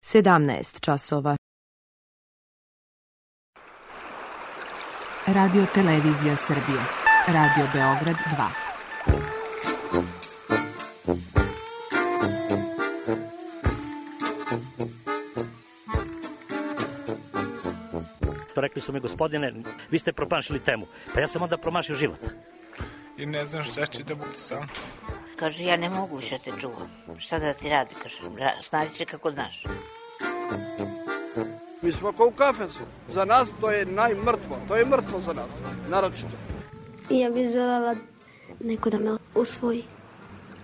17 časova. Radio Televizija Srbije. Radio Beograd 2. Rekli su mi, gospodine, vi ste promašili temu. Pa ja sam onda promašio život. I ne znam šta će da budu sam. Kaže, ja ne mogu više te čuvam. Šta da ti radi, kaže, snađi se kako znaš. Mi smo kao u kafesu. Za nas to je najmrtvo. To je mrtvo za nas, naročito. Ja bih željela neko da me usvoji.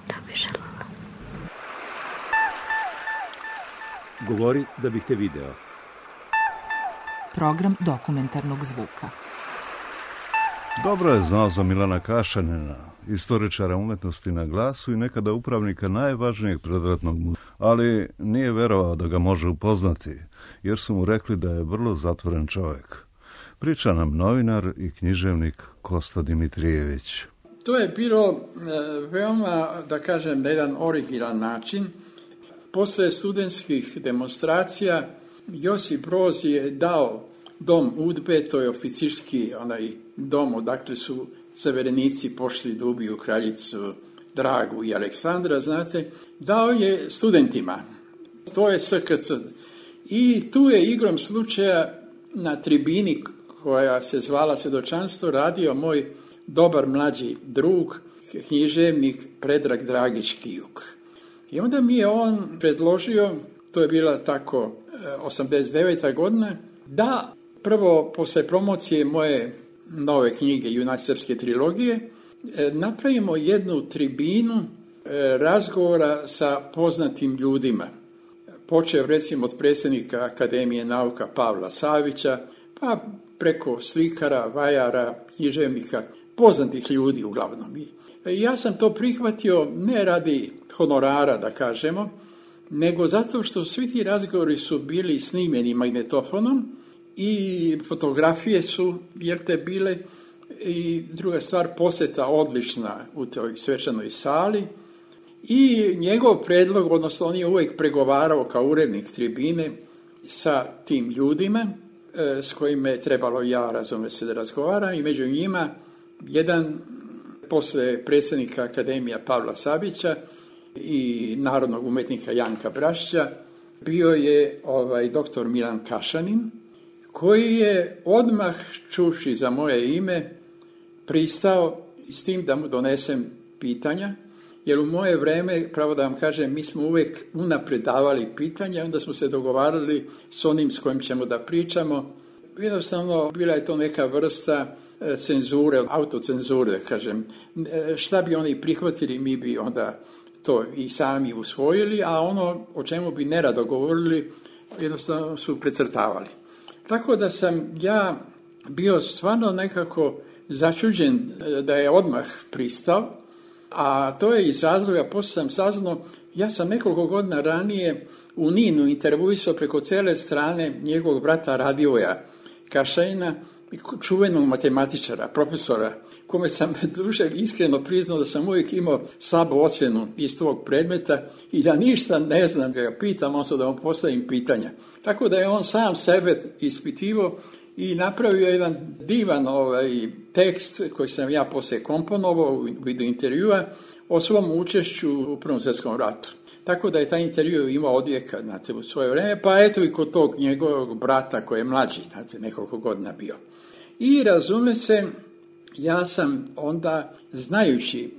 To bih željela. Govori da bih te video. Program dokumentarnog zvuka. Dobro je znao za Milana Kašanina, istoričara umetnosti na glasu i nekada upravnika najvažnijeg predratnog muzeja, ali nije verovao da ga može upoznati, jer su mu rekli da je vrlo zatvoren čovjek. Priča nam novinar i književnik Kosta Dimitrijević. To je bilo veoma, da kažem, na jedan originalan način. Posle studentskih demonstracija Josip Broz je dao dom UDBE, to je oficirski dom odakle su severenici pošli da ubiju kraljicu Dragu i Aleksandra, znate, dao je studentima. To je SKC. I tu je igrom slučaja na tribini koja se zvala Svjedočanstvo radio moj dobar mlađi drug, književnik Predrag Dragić Kijuk. I onda mi je on predložio, to je bila tako 89. godina, da prvo posle promocije moje nove knjige Junak srpske trilogije napravimo jednu tribinu razgovora sa poznatim ljudima. Počeo recimo od predsjednika Akademije nauka Pavla Savića, pa preko slikara, vajara, književnika, poznatih ljudi uglavnom. I ja sam to prihvatio ne radi honorara, da kažemo, nego zato što svi ti razgovori su bili snimljeni magnetofonom i fotografije su, jer te bile, i druga stvar, posjeta odlična u toj svečanoj sali. I njegov predlog, odnosno on je uvijek pregovarao kao urednik tribine sa tim ljudima s kojima je trebalo ja, razume se, da razgovaram, i među njima jedan posle predsjednika Akademija Pavla Savića i narodnog umetnika Janka Brašća bio je doktor Milan Kašanin, koji je odmah čuši za moje ime pristao s tim da mu donesem pitanja, jer u moje vreme, pravo da vam kažem, mi smo uvijek unaprijed davali pitanja, onda smo se dogovarali s onim s kojim ćemo da pričamo. Jednostavno, bila je to neka vrsta cenzure, autocenzure, da kažem. Šta bi oni prihvatili, mi bi onda to i sami usvojili, a ono o čemu bi nerado govorili, jednostavno su precrtavali. Tako da sam ja bio stvarno nekako začuđen da je odmah pristao, a to je iz razloga, poslije sam saznao, ja sam nekoliko godina ranije u Ninu intervjuisao preko cijele strane njegovog brata Radivoja Kašanina, čuvenog matematičara, profesora, kome sam duže iskreno priznao da sam uvijek imao slabu ocjenu iz tog predmeta i da ništa ne znam, da ga pitam, odnosno da mu postavim pitanja. Tako da je on sam sebe ispitivao i napravio jedan divan tekst koji sam ja poslije komponovao u vidu intervjua o svom učešću u Prvom svjetskom ratu. Tako da je taj intervju imao odjeka, znate, u svoje vrijeme, pa eto i kod tog njegovog brata koji je mlađi, znate, nekoliko godina bio. I razume se, ja sam onda, znajući,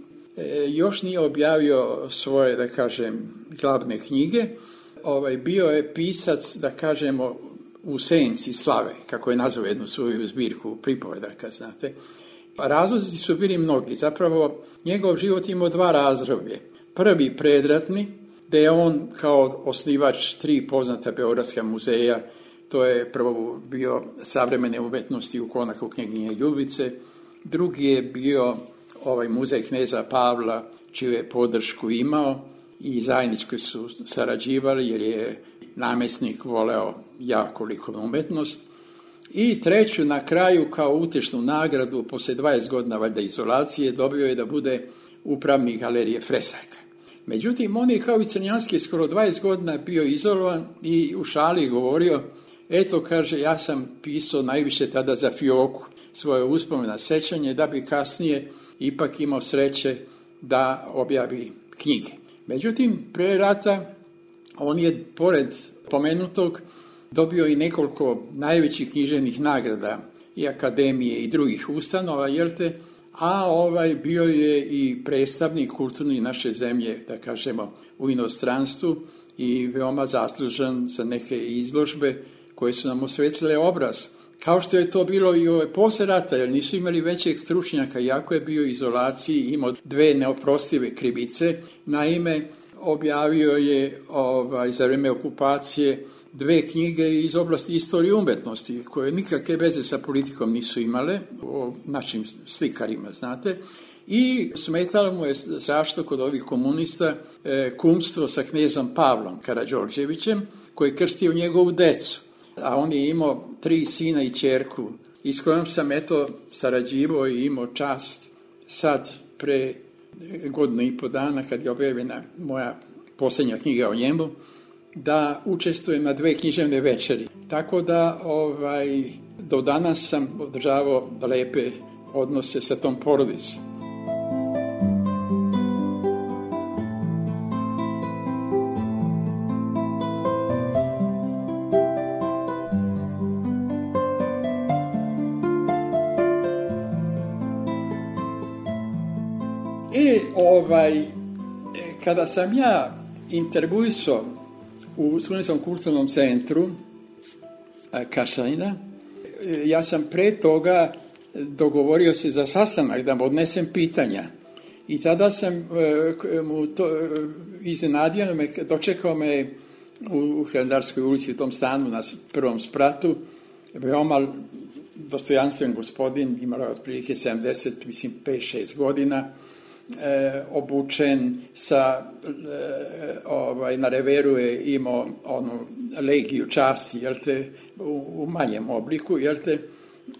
još nije objavio svoje, da kažem, glavne knjige, bio je pisac, da kažemo, u senci slave, kako je nazvao jednu svoju zbirku pripovedaka, znate. Razlozi su bili mnogi. Zapravo, njegov život imao dva razdoblje. Prvi predratni, gdje je on kao osnivač 3 poznata beogradska muzeja, to je prvo bio savremene umetnosti u konaku knjeginje Ljubice, drugi je bio muzej kneza Pavla, čiju je podršku imao i zajednički su sarađivali jer je namjesnik voleo jako likovnu umetnost. I treću, na kraju, kao utešnu nagradu, poslije 20 godina valjda izolacije, dobio je da bude upravnik galerije fresaka. Međutim, on je kao i Crnjanski skoro 20 godina bio izolovan i u šali govorio, eto, kaže, ja sam pisao najviše tada za fioku, svoje uspomena, sećanje, da bi kasnije ipak imao sreće da objavi knjige. Međutim, pre rata on je, pored pomenutog, dobio i nekoliko najvećih književnih nagrada i akademije i drugih ustanova, a bio je i predstavnik kulturni naše zemlje, da kažemo, u inostranstvu i veoma zaslužan za neke izložbe koje su nam osvetlile obraz. Kao što je to bilo i posle rata, jer nisu imali većeg stručnjaka, iako je bio u izolaciji, imao 2 neoprostive krivice. Naime, objavio je za vreme okupacije 2 knjige iz oblasti istorije umetnosti, koje nikakve veze sa politikom nisu imale, o našim slikarima, znate. I smetalo mu je strašno kod ovih komunista kumstvo sa knezom Pavlom Karađorđevićem, koji je krstio njegovu decu. A on je imao 3 sina i ćerku, i s kojom sam sarađivao i imao čast sad pre 1.5 godina, kad je objavljena moja posljednja knjiga o njemu, da učestvujem na 2 književne večeri. Tako da do danas sam održavao lepe odnose sa tom porodicom. Kada sam ja intervjuisao u Studentskom kulturnom centru Kašalina, ja sam pre toga dogovorio se za sastanak da mu odnesem pitanja. I tada sam mu to iznenadio, dočekao me u Hilandarskoj ulici, u tom stanu na 1. spratu, veoma dostojanstven gospodin, imao je otprilike 70, mislim 5-6 godina, obučen na reveru je imao onu legiju časti, u manjem obliku,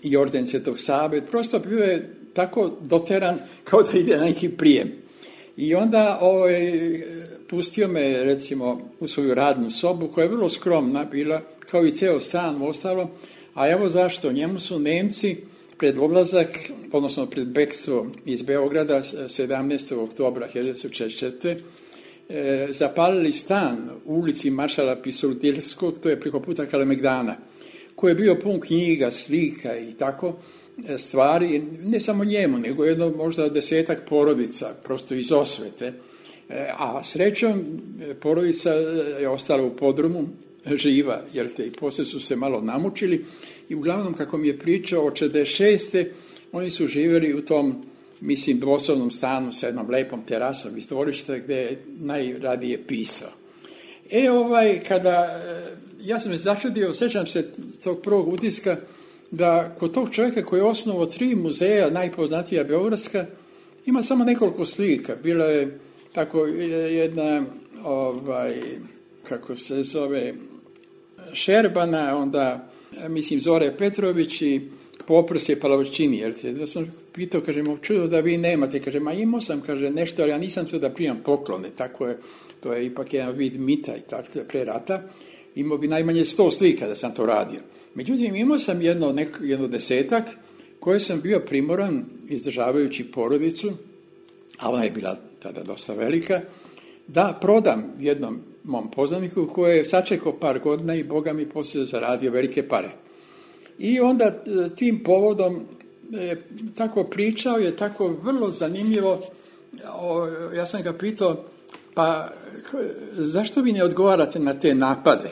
i orden Svetog Save. Prosto bio je tako doteran kao da ide na neki prijem. I onda pustio me, recimo, u svoju radnu sobu, koja je vrlo skromna bila, kao i ceo stan ostalo, a evo zašto, njemu su Nemci pred odlazak, odnosno pred bekstvo iz Beograda 17. oktobra 1944. Zapalili stan u ulici Maršala Pisultilskog, to je preko puta Kalemegdana, koji je bio pun knjiga, slika i tako stvari, ne samo njemu, nego jedno možda 10-ak porodica, prosto iz osvete. A srećom, porodica je ostala u podrumu, živa, i poslije su se malo namučili, i uglavnom, kako mi je pričao, od 46. oni su živjeli u tom, mislim, dvosobnom stanu sa jednom lepom terasom iz dvorišta gdje je najradije pisao. Ja sam se začudio, sjećam se tog prvog utiska, da kod tog čovjeka koji je osnovao 3 muzeja, najpoznatija beogradska, ima samo nekoliko slika. Bila je tako jedna, kako se zove, Šerbana, onda, mislim, Zore Petrović i Poprsje Palavčini. Da sam pitao, kažem, čudo da vi nemate, kažem, a imao sam, kaže, nešto, ali ja nisam to da primam poklone, tako je, to je ipak jedan vid mita i tako pre rata. Imao bi najmanje 100 slika da sam to radio. Međutim, imao sam jedno 10-ak koje sam bio primoran, izdržavajući porodicu, a ona je bila tada dosta velika, da prodam jednom mom poznaniku koji je sačekao par godina i Boga mi poslije zaradio velike pare. I onda tim povodom tako pričao, je tako vrlo zanimljivo. Ja sam ga pitao, pa zašto vi ne odgovarate na te napade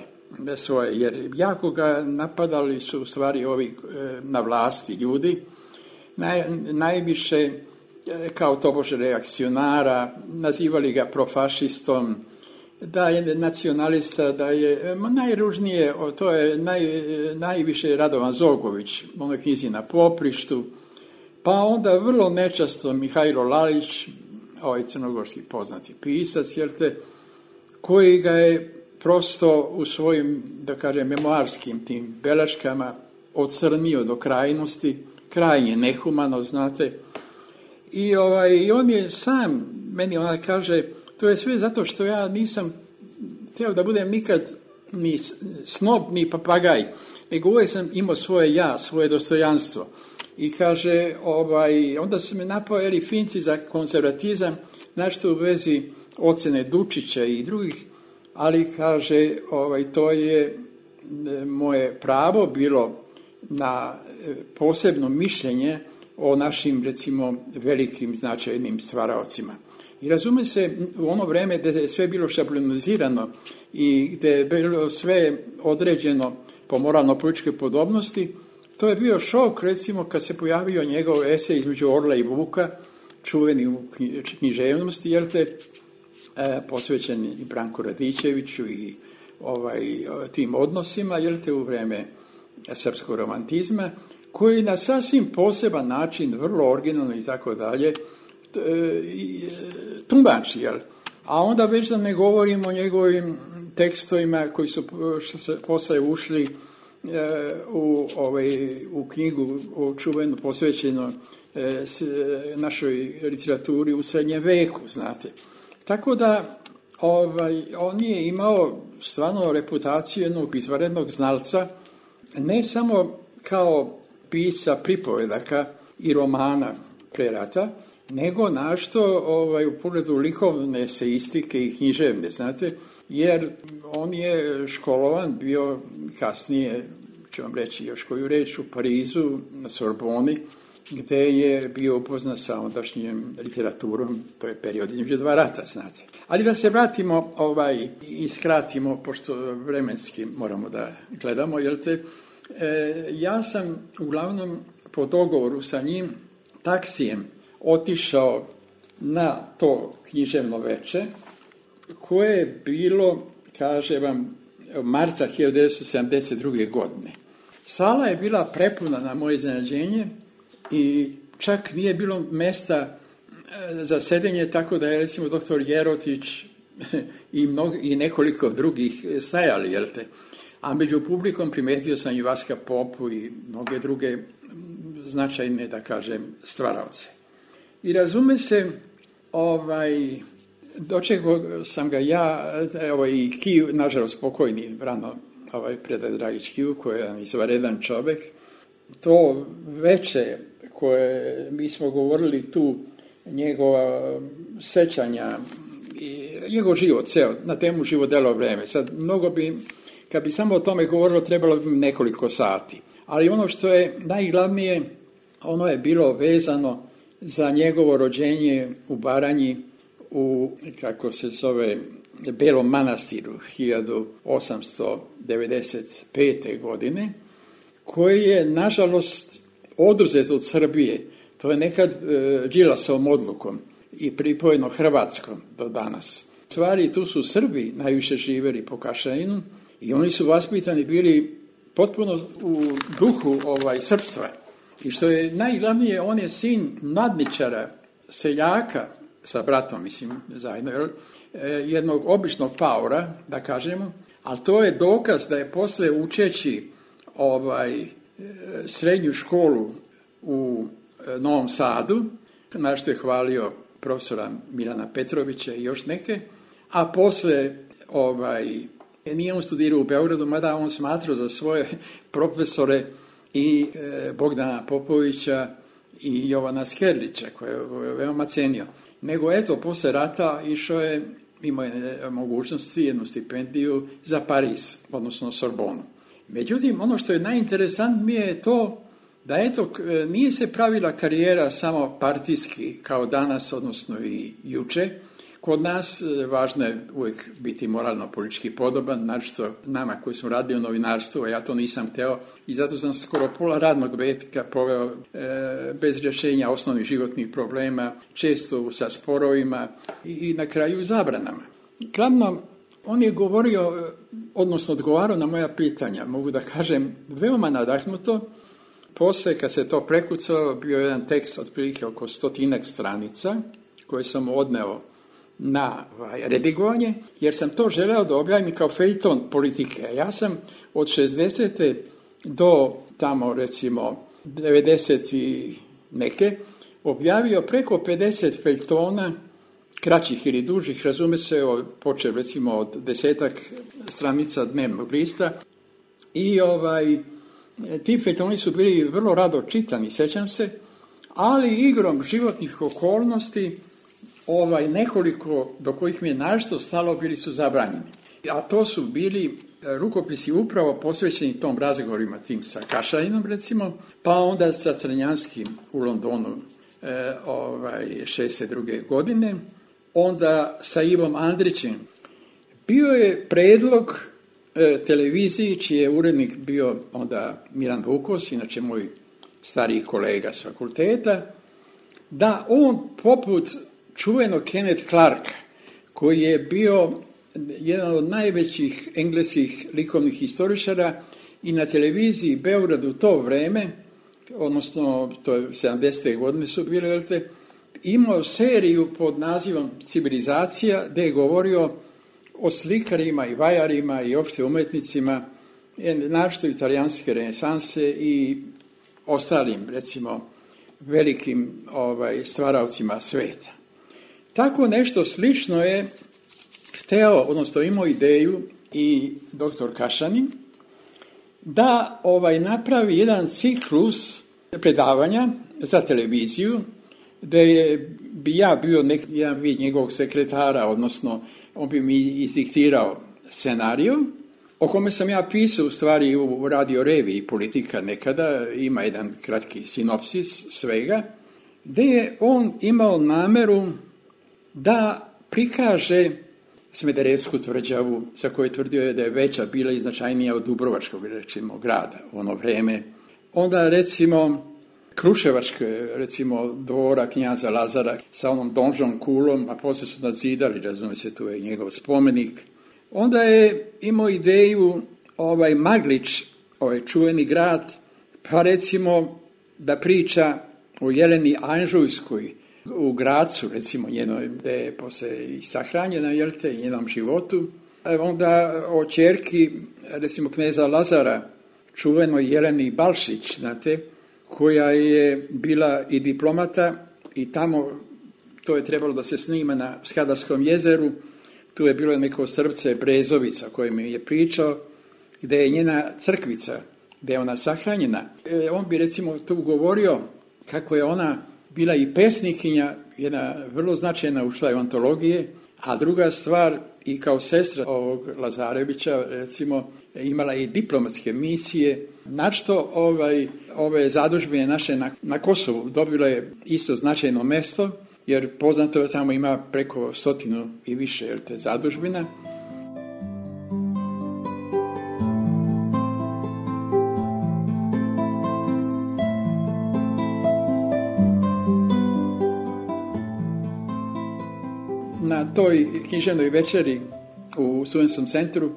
svoje, jer jako ga napadali su u stvari ovi na vlasti ljudi, najviše kao tobože reakcionara, nazivali ga profašistom, da je nacionalista, da je najružnije, to je najviše Radovan Zogović, u onoj knjizi Na poprištu, pa onda vrlo nečasto Mihajlo Lalić, ovaj crnogorski poznati pisac, koji ga je prosto u svojim, da kažem, memoarskim tim beleškama ocrnio do krajnosti, krajnje nehumano, znate. I on je sam, meni ona kaže, To je sve zato što ja nisam htio da budem nikad ni snob, ni papagaj, nego uvijek sam imao svoje ja, svoje dostojanstvo. I kaže, onda su me napojeli Finci za konzervatizam, nešto u vezi ocjene Dučića i drugih, ali kaže, to je moje pravo bilo na posebno mišljenje o našim, recimo, velikim značajnim stvaraocima. I razume se, u ono vrijeme gdje je sve bilo šablonizirano i gdje je bilo sve određeno po moralno-političke podobnosti, to je bio šok, recimo, kad se pojavio njegov esej između Orla i Vuka, čuveni u književnosti, posvećen i Branku Radičeviću i tim odnosima, u vrijeme srpskog romantizma, koji na sasvim poseban način, vrlo originalno i tako dalje, tumači, A onda već da ne govorim o tekstovima koji su posle ušli u knjigu čuvenu posvećeno našoj literaturi u srednjem veku, znate. Tako da on je imao stvarno reputaciju jednog izvanrednog znalca, ne samo kao pisca pripovedaka i romana pre rata, nego našto u pogledu likovne eseistike i književne, znate, jer on je školovan bio kasnije, ću vam reći još koju reč, u Parizu, na Sorboni, gdje je bio upoznat sa ondašnjim literaturom, to je period između dva rata, znate. Ali da se vratimo i skratimo, pošto vremenski moramo da gledamo, ja sam uglavnom po dogovoru sa njim taksijem otišao na to književno veče, koje je bilo, kaže vam, marta 1972. godine. Sala je bila prepuna na moje iznenađenje i čak nije bilo mesta za sedenje, tako da je recimo doktor Jerotić i nekoliko drugih stajali, A među publikom primetio sam i Vaska Popu i mnoge druge značajne, da kažem, stvaraoce. I razume se, dočekao sam ga ja, i Kiju, nažalost pokojni rano, Predrag Dragić Kiju, koji je izvanredan čovjek. To veče koje mi smo govorili tu, njegova sećanja, njegov život, ceo, na temu život delo vreme. Sad, mnogo bi, kad bi samo o tome govorilo, trebalo bi nekoliko sati. Ali ono što je najglavnije, ono je bilo vezano za njegovo rođenje u Baranji u, kako se zove, Belom Manastiru 1895. godine, koji je, nažalost, oduzet od Srbije. To je nekad Đilasovom odlukom i pripojeno Hrvatskom do danas. U stvari, tu su Srbi najviše živjeli po Kašajinu i oni su vaspitani bili potpuno u duhu srpstva. I što je najglavnije, on je sin nadničara, seljaka, sa bratom, mislim, zajedno, jednog običnog paora, da kažemo, ali to je dokaz da je posle učeći srednju školu u Novom Sadu, na što je hvalio profesora Milana Petrovića i još neke, a posle nije on studirao u Beogradu, mada on smatrao za svoje profesore i Bogdana Popovića i Jovana Skerlića, koje je veoma cenio. Nego posle rata imao je mogućnosti, jednu stipendiju za Pariz, odnosno Sorbonu. Međutim, ono što je najinteresantnije je to da nije se pravila karijera samo partijski kao danas, odnosno i juče. Kod nas važno je uvijek biti moralno-politički podoban, naročito nama koji smo radili u novinarstvu, a ja to nisam hteo i zato sam skoro pola radnog veka proveo bez rješenja osnovnih životnih problema, često sa sporovima i na kraju zabranama. Glavno, on je govorio, odnosno odgovarao na moja pitanja, mogu da kažem, veoma nadahnuto. Posle, kad se to prekucalo, bio jedan tekst otprilike oko 100 stranica koje sam odneo na redigovanje, jer sam to želeo da objavim kao fejton politike. Ja sam od 60. do tamo recimo 90. i neke objavio preko 50 fejtona kraćih ili dužih, razume se, počeo recimo od 10 stranica dnevnog lista i ti feljtoni su bili vrlo rado čitani, sećam se, ali igrom životnih okolnosti nekoliko do kojih mi je našto stalo bili su zabranjeni. A to su bili rukopisi upravo posvećeni tom razgovorima tim sa Kašaninom recimo, pa onda sa Crnjanskim u Londonu 62. godine, onda sa Ivom Andrićem. Bio je predlog televiziji, čiji je urednik bio onda Miran Vukos, inače moj stariji kolega s fakulteta, da on poput čuvenog Kenneth Clarka, koji je bio jedan od najvećih engleskih likovnih historičara i na televiziji Beogradu u to vreme, odnosno to je 70. godine su bile, imao seriju pod nazivom Civilizacija, gdje je govorio o slikarima i vajarima i opšte umetnicima, našto italijanske renesanse i ostalim, recimo, velikim stvaraocima sveta. Tako nešto slično je hteo, odnosno imao ideju i doktor Kašanin, da napravi jedan ciklus predavanja za televiziju, gdje bi ja bio jedan vid njegovog sekretara, odnosno on bi mi izdiktirao scenariju, o kome sam ja pisao u stvari u radio reviji Politika nekada, ima jedan kratki sinopsis svega, gdje je on imao nameru da prikaže Smederevsku tvrđavu, za koju je tvrdio da je veća bila i značajnija od Dubrovačkog, recimo, grada u ono vreme. Onda, recimo, Kruševačke, recimo, dvora knjaza Lazara sa onom donžom kulom, a poslije su nadzidali, razumije se, tu je njegov spomenik. Onda je imao ideju Maglić, čuveni grad, pa recimo da priča o Jeleni Anžujskoj u Gracu, recimo njenoj, gdje je poslije i sahranjena, njenom životu. Onda o ćerki, recimo kneza Lazara, čuvenoj Jeleni Balšić, znate, koja je bila i diplomata i tamo, to je trebalo da se snima na Skadarskom jezeru, tu je bilo neko strpce Brezovica koje mi je pričao, gdje je njena crkvica, gdje je ona sahranjena. On bi recimo tu govorio kako je ona bila i pesnikinja, jedna vrlo značajna, ušla je u antologije, a druga stvar i kao sestra ovog Lazarevića, recimo, imala i diplomatske misije, načto ove zadužbine naše na Kosovu dobile isto značajno mesto, jer poznato je tamo ima preko 100 i više zadužbina. Na toj književnoj večeri u Studentskom centru,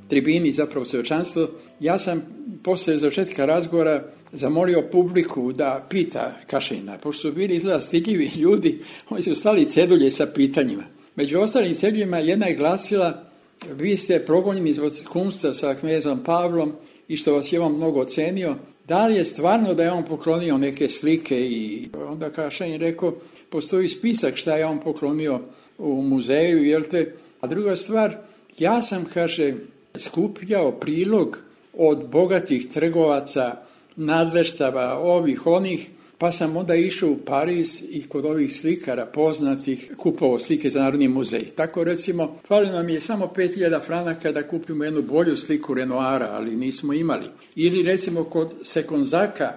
tribini, zapravo svečanstvo, ja sam poslije završetka razgovora zamolio publiku da pita Kašanina, pošto su bili izgleda stidljivi ljudi, oni su stali cedulje sa pitanjima. Među ostalim ceduljima jedna je glasila: vi ste progonjeni zbog kumstva sa knezom Pavlom i što vas je on mnogo ocenio, da li je stvarno da je on poklonio neke slike? I onda Kašanin rekao, postoji spisak šta je on poklonio u muzeju, A druga stvar, ja sam, kaže, skupljao prilog od bogatih trgovaca, nadleštava, ovih, onih, pa sam onda išao u Pariz i kod ovih slikara poznatih kupovao slike za Narodni muzej. Tako recimo, falilo nam je samo 5000 franaka da kupimo jednu bolju sliku Renoira, ali nismo imali. Ili recimo kod Sekonzaka,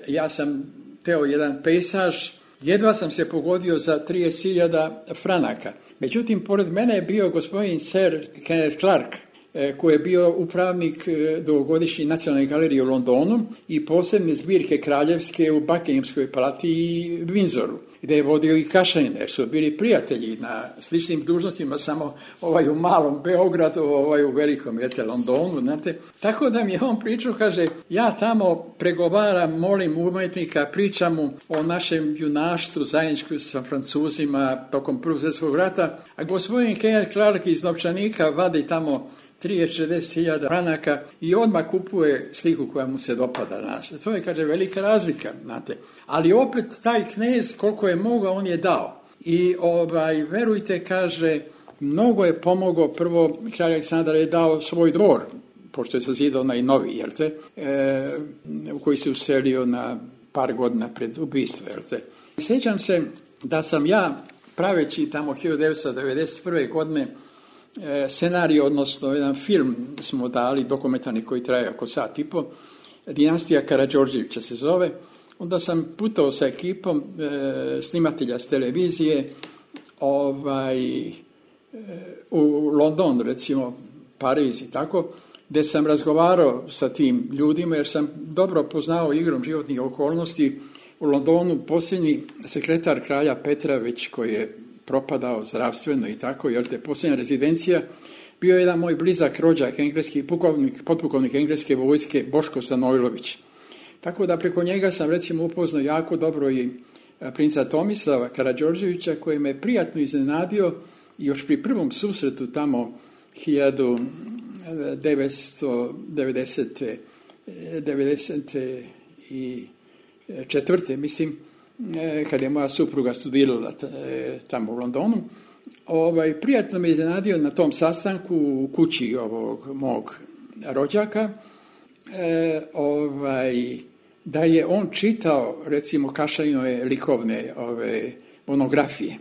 ja sam teo jedan pejsaž, jedva sam se pogodio za 30.000 franaka. Međutim, pored mene je bio gospodin Sir Kenneth Clark, koji je bio upravnik dugogodišnje Nacionalne galerije u Londonu i posebne zbirke kraljevske u Buckinghamskoj palati i Windsoru, gdje je vodio i Kašanin, jer su bili prijatelji na sličnim dužnostima, samo u malom Beogradu, u velikom Londonu, znate. Tako da mi je on pričao, kaže, ja tamo pregovaram, molim umetnika, pričam mu o našem junaštvu zajedničku sa Francuzima tokom Prvog svjetskog rata, a gospodin Kenneth Clark iz novčanika vadi tamo 30-40.000 franaka i odmah kupuje sliku koja mu se dopada. To je, kaže, velika razlika, znate. Ali opet taj knez, koliko je mogao, on je dao. I verujte, kaže, mnogo je pomogao. Prvo, kralj Aleksandar je dao svoj dvor, pošto je sazidao onaj novi, u koji se uselio na par godina pred ubistvo. Sjećam se da sam ja, praveći tamo 1991. godine, scenarij, odnosno jedan film smo dali, dokumentarni koji traje oko sat i po, Dinastija Karađorđevića se zove. Onda sam putovao sa ekipom snimatelja s televizije u London, recimo Pariz i tako, gdje sam razgovarao sa tim ljudima, jer sam dobro poznao igrom životnih okolnosti. U Londonu posljednji sekretar kralja Petra, već koji je propadao zdravstveno i tako, posljednja rezidencija, bio je jedan moj blizak rođak, engleski potpukovnik engleske vojske, Boško Stanojlović. Tako da preko njega sam recimo upoznao jako dobro i princa Tomislava Karađorđevića, koji me prijatno iznenadio i još pri prvom susretu tamo 1994. mislim, kad je moja supruga studirala tamo u Londonu. Prijatno me iznenadio na tom sastanku u kući ovog mog rođaka, da je on čitao recimo Kašaninove likovne monografije.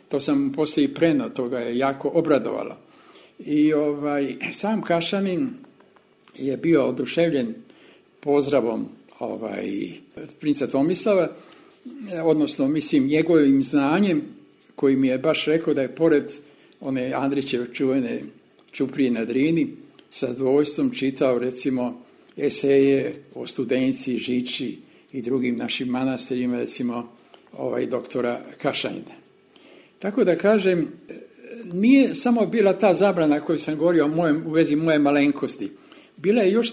To sam poslije prenao, to ga je jako obradovalo. I sam Kašanin je bio oduševljen pozdravom princa Tomislava, odnosno mislim njegovim znanjem, koji mi je baš rekao da je pored one Andrićeve čuvene Ćuprije na Drini sa zadovoljstvom čitao recimo eseje o Studenci, Žiči i drugim našim manastirima, recimo doktora Kašanina. Tako da kažem, nije samo bila ta zabrana koju sam govorio u vezi moje malenkosti. Bila je još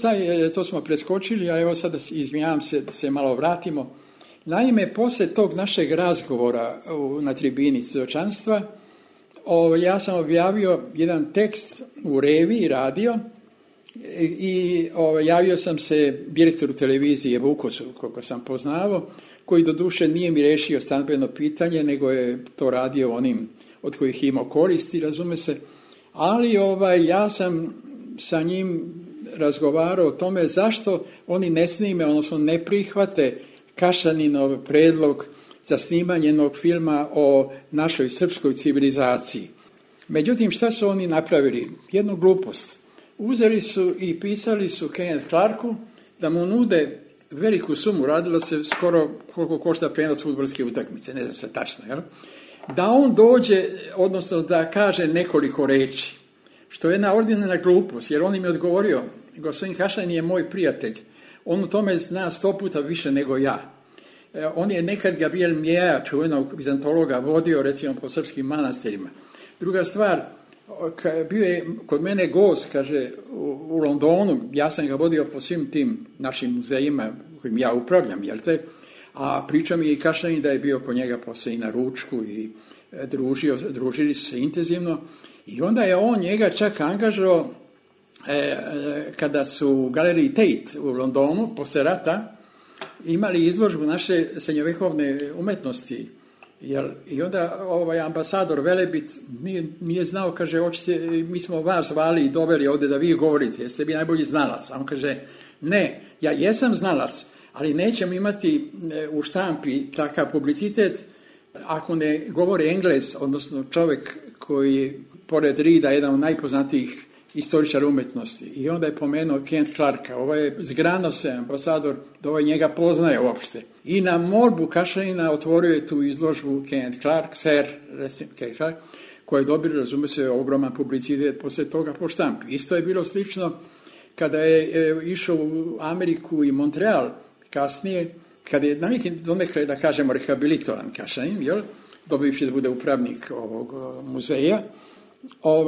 to smo preskočili, a evo sada izvinjavam se da se malo vratimo. Naime, poslije tog našeg razgovora na tribini svjedočanstva, ja sam objavio jedan tekst u reviji radio i javio sam se direktoru televizije Vukosu, koliko sam poznavao, koji doduše nije mi rešio stambeno pitanje, nego je to radio onim od kojih imao koristi, razume se. Ali ja sam sa njim razgovarao o tome zašto oni ne snime, odnosno ne prihvate Kašaninov predlog za snimanje jednog filma o našoj srpskoj civilizaciji. Međutim, šta su oni napravili? Jednu glupost. Uzeli su i pisali su Kenneth Clarku da mu nude veliku sumu, radilo se skoro koliko košta prenos fudbalske utakmice, ne znam se tačno, da on dođe, odnosno da kaže nekoliko reči, što je jedna ordinarna glupost, jer on im je odgovorio, gospodin Kašanin je moj prijatelj, on u tome zna 100 puta više nego ja. On je nekad Gabriel Mjeja, čuvenog bizantologa, vodio recimo po srpskim manastirima. Druga stvar, bio je kod mene gost, kaže, u Londonu, ja sam ga vodio po svim tim našim muzejima kojim ja upravljam, a priča mi je i Kašanin da je bio po njega poslije i na ručku i družili su se intenzivno i onda je on njega čak angažao kada su u galeriji Tate u Londonu poslije rata imali izložbu naše srednjovekovne umetnosti. I onda ambasador Velebit nije znao, kaže, mi smo vas zvali i doveli ovdje da vi govorite, jeste vi najbolji znalac. A on kaže, ne, ja jesam znalac, ali nećemo imati u štampi takav publicitet ako ne govori Englez, odnosno čovjek koji pored Rida jedan od najpoznatijih istoričara umetnosti. I onda je pomenuo Kent Clarka. Ovo je zgrano se ambasador da njega poznaje uopšte. I na molbu Kašanina otvorio je tu izložbu Kent Clark, koji je dobio, razume se, ogroman publicitet poslije toga po štampi. Isto je bilo slično kada je išao u Ameriku i Montreal kasnije, kada je na neki donekle, da kažemo, rehabilitovan Kašanin, dobivši da bude upravnik ovog muzeja,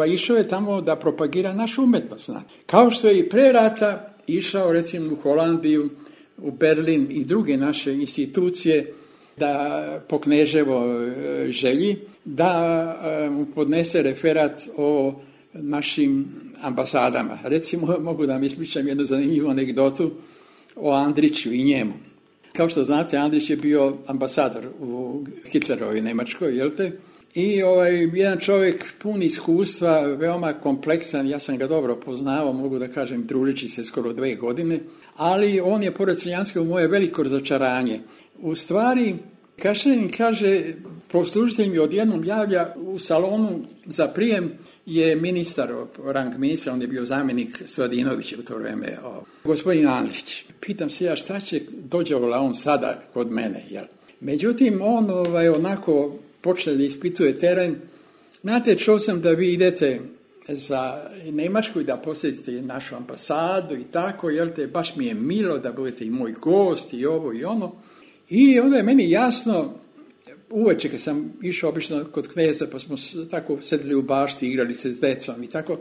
išao je tamo da propagira našu umetnost. Kao što je i pre rata išao recimo u Holandiju, u Berlin i druge naše institucije da po Kneževo želji da mu podnese referat o našim ambasadama. Recimo, mogu da vam ispričam jednu zanimljivu anegdotu o Andriću i njemu. Kao što znate, Andrić je bio ambasador u Hitlerovoj Njemačkoj, jel te? I jedan čovjek pun iskustva, veoma kompleksan, ja sam ga dobro poznao, mogu da kažem, družeći se skoro 2 godine, ali on je, pored Crnjanskog, moje veliko razočaranje. U stvari, Kašanin kaže, poslužitelj mi odjednom javlja u salonu za prijem je ministar, rang ministra, on je bio zamjenik Stojadinovića u to vrijeme, gospodin Andrić. Pitam se ja šta će dođevola on sada kod mene, jel? Međutim, on onako počne da ispituje teren. Znate, čuo sam da vi idete za Njemačku i da posjetite našu ambasadu i tako, jel te, baš mi je milo da budete i moj gost i ovo i ono. I onda je meni jasno, uveče kad sam išao obično kod kneza, pa smo tako sedeli u bašti, igrali se s decom i tako,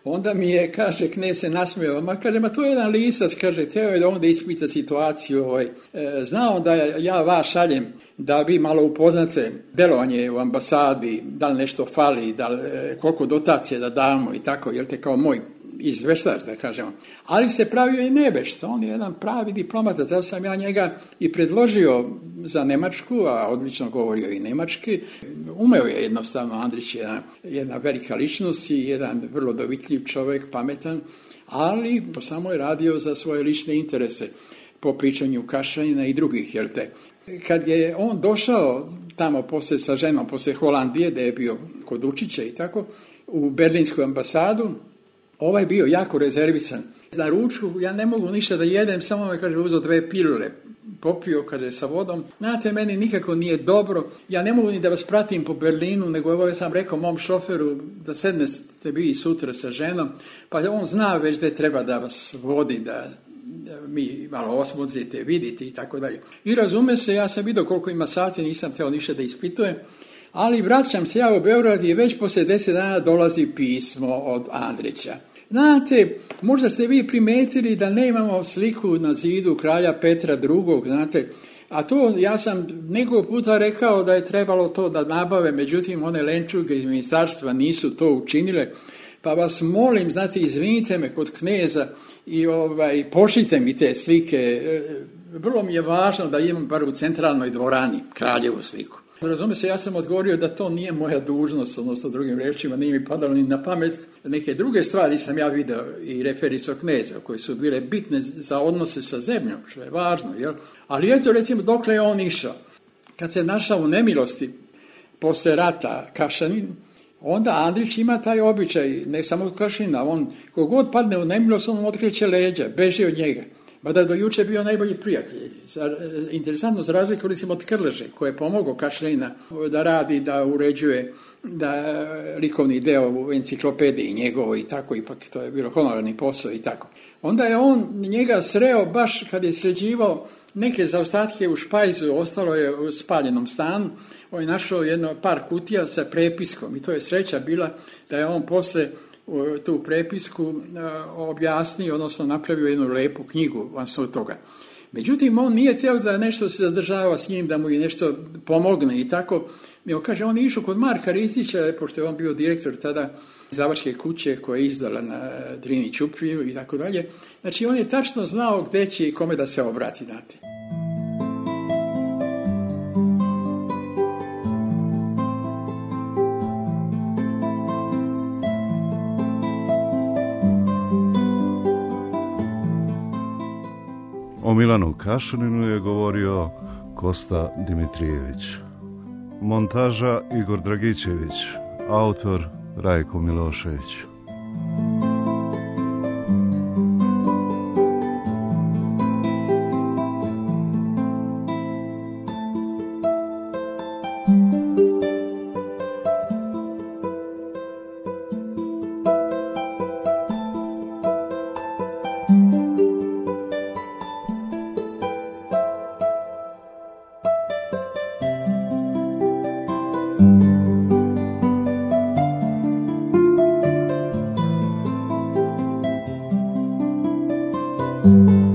onda mi je, kaže, knez se nasmijao, kaže, to je jedan lisac, kaže, teo je da onda ispita situaciju, znao da ja vas šaljem da vi malo upoznate delovanje u ambasadi, da li nešto fali, koliko dotacije da damo i tako, jel te, kao moj izveštač, da kažemo. Ali se pravio i nebešta, on je jedan pravi diplomata, zato sam ja njega i predložio za Njemačku, a odlično govorio i njemački. Umeo je jednostavno, Andrić je jedna velika ličnost i jedan vrlo dovitljiv čovjek, pametan, ali samo je radio za svoje lične interese po pričanju Kašanina i drugih, jel te. Kad je on došao tamo poslije sa ženom, poslije Holandije, da je bio kod Učića i tako, u Berlinsku ambasadu, ovaj bio jako rezervisan. Na ručku ja ne mogu ništa da jedem, samo me, kaže, uzeo 2 pilule, popio, kaže, sa vodom. Znate, meni nikako nije dobro, ja ne mogu ni da vas pratim po Berlinu, nego ovo sam rekao mom šoferu da sednete vi sutra sa ženom, pa on zna već da treba da vas vodi, da mi malo osmotrite, vidite i tako dalje. I razume se, ja sam vidio koliko ima sati, nisam htio ništa da ispitujem, ali vraćam se ja u Beograd i već poslije 10 dana dolazi pismo od Andrića. Znate, možda ste vi primetili da nemamo sliku na zidu kralja Petra II, znate, a to ja sam nekoliko puta rekao da je trebalo to da nabave, međutim one lenčuge iz ministarstva nisu to učinile, pa vas molim, znate, izvinite me kod kneza i pošljite mi te slike, vrlo mi je važno da imam bar u centralnoj dvorani kraljevu sliku. Razume se, ja sam odgovorio da to nije moja dužnost, odnosno drugim rečima, nije mi padalo ni na pamet. Neke druge stvari sam ja vidio i referisao kneza, koje su bile bitne za odnose sa zemljom, što je važno, jel? Ali eto, recimo, dokle je on išao. Kad se našao u nemilosti posle rata Kašanin, onda Andrić ima taj običaj, ne samo od Kašanina, on kogod padne u nemilost, on otkreće leđa, beži od njega. Mada do juče bio najbolji prijatelj. Interesantno, za razliku recimo od Krleže, koji je pomogao Kašanina da radi, da uređuje, da likovni deo u enciklopediji njegovo i tako, ipak to je bilo honorarni posao i tako. Onda je on njega sreo baš kad je sređivao neke zaostatke u špajzu, ostalo je u spaljenom stanu, on je našao par kutija sa prepiskom i to je sreća bila da je on posle tu prepisku objasnio, odnosno napravio jednu lepu knjigu van svog toga. Međutim, on nije htio da nešto se zadržava s njim, da mu je nešto pomogne i tako. Nego kaže, on je išao kod Marka Ristića, pošto je on bio direktor tada izdavačke kuće koja je izdala na Drini Ćupriju i tako dalje. Znači, on je tačno znao gdje će i kome da se obrati, znate. O Milanu Kašaninu je govorio Kosta Dimitrijević. Montaža Igor Dragićević, autor Rajko Milošević. Thank you.